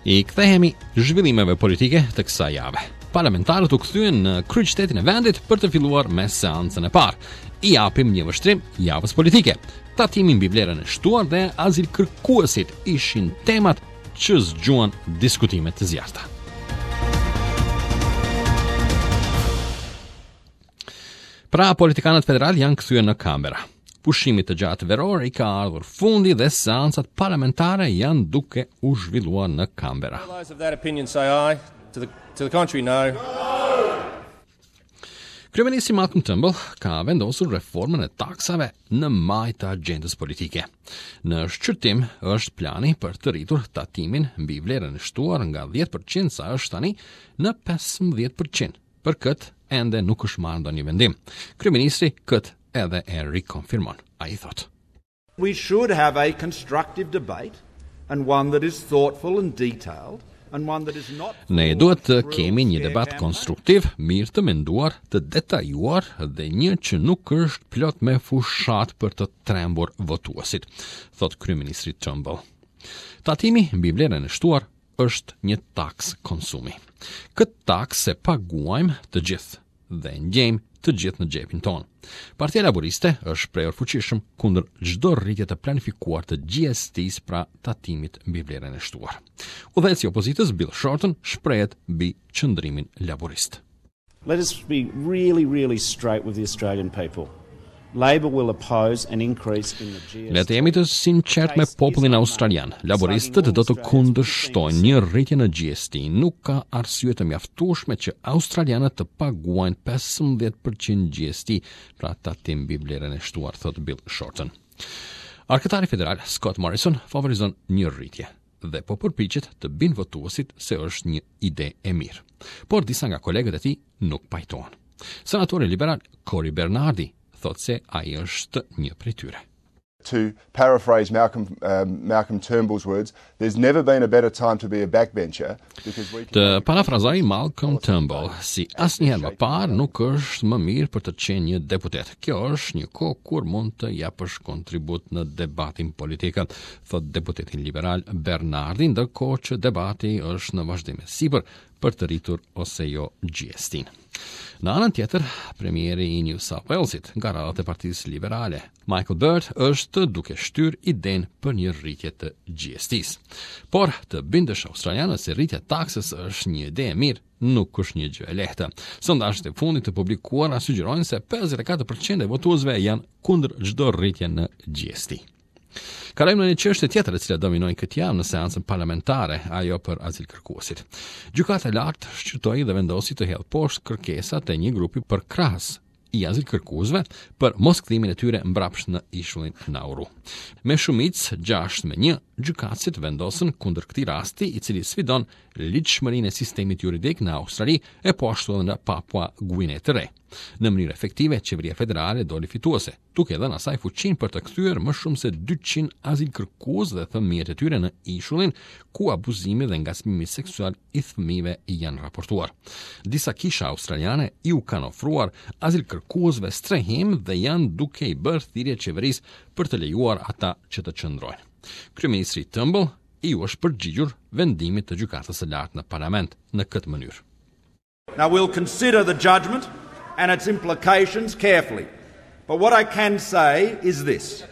I kthehemi zhvillimeve politike të kësaj jave. Parlamentarët u kthyen në kryeqytetin e vendit për të filluar me seancën e parë. I japim një vështrim javës politike. Tatimi mbi vlerën e shtuar dhe azilkërkuesit ishin temat që zgjuan diskutime të zjarrta. Pra, politikanët federalë janë kthyer në Canberra. Pushimit të gjatë veror i ka ardhur fundi dhe seancat parlamentare janë duke u zhvilluar në Canberra. Kryeministri Malcolm Turnbull ka vendosur reformën e taksave në majë të agjendës politike. Në shqyrtim është plani për të rritur tatimin mbi vlerën e shtuar nga 10% sa është tani në 15%. Për këtë ende nuk është marrë ndonjë vendim. Kryeministri këtë edhe e rikonfirmon. Ai thotë. We should have a constructive debate and one that is thoughtful and detailed and one that is not Ne duhet të kemi një debat konstruktiv, mirë të menduar, të detajuar dhe një që nuk është plot me fushatë për të trembur votuesit, thotë kryeministri Turnbull. Tatimi mbi vlerën e shtuar është një taksë konsumi. Këtë taksë e paguajmë të gjithë dhe e ndjejmë të gjithë në xhepin tonë. Partia Laburiste është shprehur fuqishëm kundër çdo rritje të planifikuar të GST-së, pra tatimit mbi vlerën e shtuar. Udhëheqësi i opozitës Bill Shorten shprehet mbi qëndrimin laburist. Let us be really, really straight with the Australian people. Labor will oppose an increase in the GST. Le të jemi të sinqertë me popullin australian. Laburistët do të kundërshtojnë një rritje në GST. Nuk ka arsye të mjaftueshme që australianët të paguajnë 15% GST, pra tatim mbi vlerën e shtuar, thotë Bill Shorten. Arkëtari federal Scott Morrison favorizon një rritje dhe po përpiqet të bindë votuesit se është një ide e mirë. Por disa nga kolegët e tij nuk pajtohen. Senatori liberal Cory Bernardi thotë se ai është një prej tyre. To paraphrase Malcolm, um, Malcolm Turnbull's words, there's never been a better time to be a backbencher because we can... Të parafrazoj Malcolm Turnbull, si asnjëherë më parë nuk është më mirë për të qenë një deputet. Kjo është një kohë kur mund të japësh kontribut në debatin politik, thotë deputeti liberal Bernardi, ndërkohë që debati është në vazhdim e sipër për të rritur ose jo GST-n. Në anën tjetër, premieri i New South Walesit, nga radhët e Partisë Liberale, Michael Bird, është duke shtyrë idenë për një rritje të GST-s. Por, të bindësh australianët se rritja e taksës është një ide e mirë, nuk është një gjë e lehtë. Sondazhet e fundit të publikuara sugjerojnë se 54% e votuesve janë kundër çdo rritje në GST. Kalojmë në një çështje tjetër e cila dominoi këtë javë në seancën parlamentare, ajo për azilkërkuesit. Gjykata e Lartë shqyrtoi dhe vendosi të hedhë poshtë kërkesat e një grupi përkrahës i azilkërkuesve për moskthimin e tyre mbrapsht në ishullin Nauru. Me shumicë 6 me 1, gjykatësit vendosën kundër këtij rasti, i cili sfidon ligjshmërinë e sistemit juridik në Australi e po ashtu edhe në Papua Guine të Re. Në mënyrë efektive, qeveria federale doli fituese, duke dhënë asaj fuqinë për të kthyer më shumë se 200 azilkërkues dhe fëmijët e tyre në ishullin ku abuzimi dhe ngacmimi seksual i fëmijëve janë raportuar. Disa kisha australiane iu kanë ofruar azilkërkuesve strehim dhe janë duke i bërë thirrje qeverisë për të lejuar ata që të qëndrojnë. Kryeministri Turnbull iu është përgjigjur vendimit të gjykatës së lartë në parlament në këtë mënyrë. Now we'll consider the judgment and its implications carefully. But what I can say is this.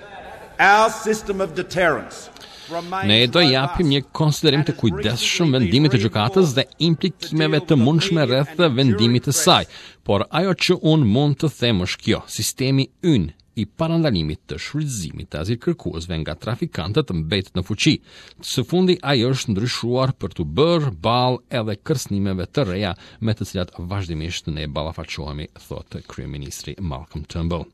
Our system of deterrence Ne do japim një konsiderim të kujdesshëm vendimit të gjykatës dhe implikimeve të mundshme rreth vendimit të saj, por ajo që unë mund të them është kjo, sistemi ynë i parandalimit të shfrytëzimit të azilkërkuesve nga trafikantët mbetet në fuqi. Së fundi ai është ndryshuar për t'u bërë ballë edhe kërcënimeve të reja me të cilat vazhdimisht ne ballafaqohemi, thotë kryeministri Malcolm Turnbull.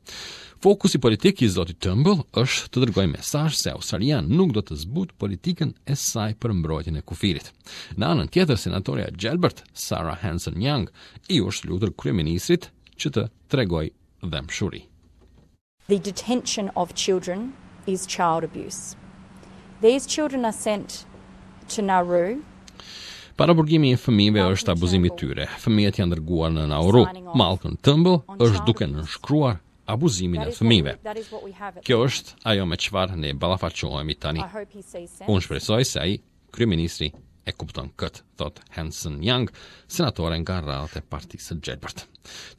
Fokusi politik i zotit Turnbull është të dërgojë mesazh se Australia nuk do të zbutë politikën e saj për mbrojtjen e kufirit. Në anën tjetër, senatorja e Gjelbërt, Sarah Hanson-Young, iu është lutur kryeministrit që të tregojë dhembshuri. The detention of children is child abuse. These children are sent to Nauru. Paraburgimi i fëmijëve është abuzim i tyre. Fëmijët janë dërguar në Nauru. Malcolm Turnbull është duke nënshkruar abuzimin e fëmijëve. Kjo është ajo me çfarë ne ballafaqohemi tani. Unë shpresoj se ai, kryeministri, e kupton këtë, thotë Hanson Young, senatore nga radhët e Partisë së Gjelbërt.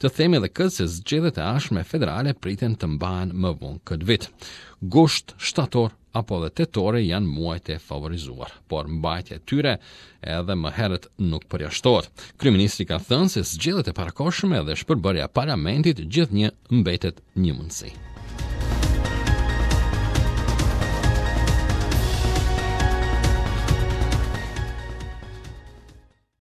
Të themi edhe këtë se zgjedhjet e ardhshme federale priten të mbahen më vonë këtë vit. Gusht, shtator apo edhe tetore janë muajt e favorizuar, por mbajtja e tyre edhe më herët nuk përjashtohet. Kryeministri ka thënë se zgjedhjet e parakohshme dhe shpërbërja e parlamentit gjithnjë mbetet një mundësi.